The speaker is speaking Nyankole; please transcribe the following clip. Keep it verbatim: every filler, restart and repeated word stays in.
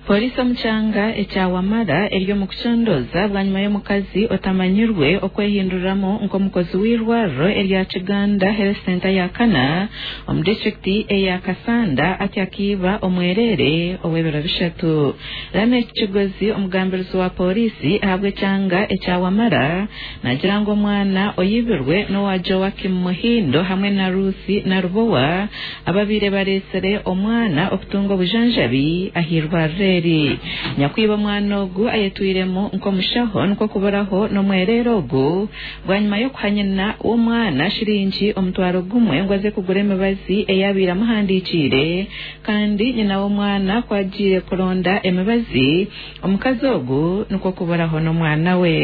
Polisi omu kyanga ekya Wamala eri omu kucondooza bwanyima y'omukazi otamanyirwe okwehinduramu nk'omukozi w'eirwariro erya Kiganda Health Centre ya kana omu disitulikiti eya Kasanda ati akiiba omwereere ow'ebiro bishatu. Lameck Kigozi, omugambirizi wa polisi ahabw'ekyanga ekya Wamala, nagira ngu omwana oyibirwe n'owa Joakim Muhindo hamwe na Ruth Narubowa ababaire bareetsire omwana okutunga obujanjabi ah'eirwariro eri. Nyakwiba omwana ogu ayetwiremu nk'omushaho nikwo kuburaho n'omwereere ogu bwanyima y'okuha nyina w'omwana shiringi omutwaro gumwe ngu aze kugura emibazi eyabaire amuhandikiire, kandi nyina w'omwana ku agiire kuronda emibazi, omukazi ogu nikwo kuburaho n'omwana we.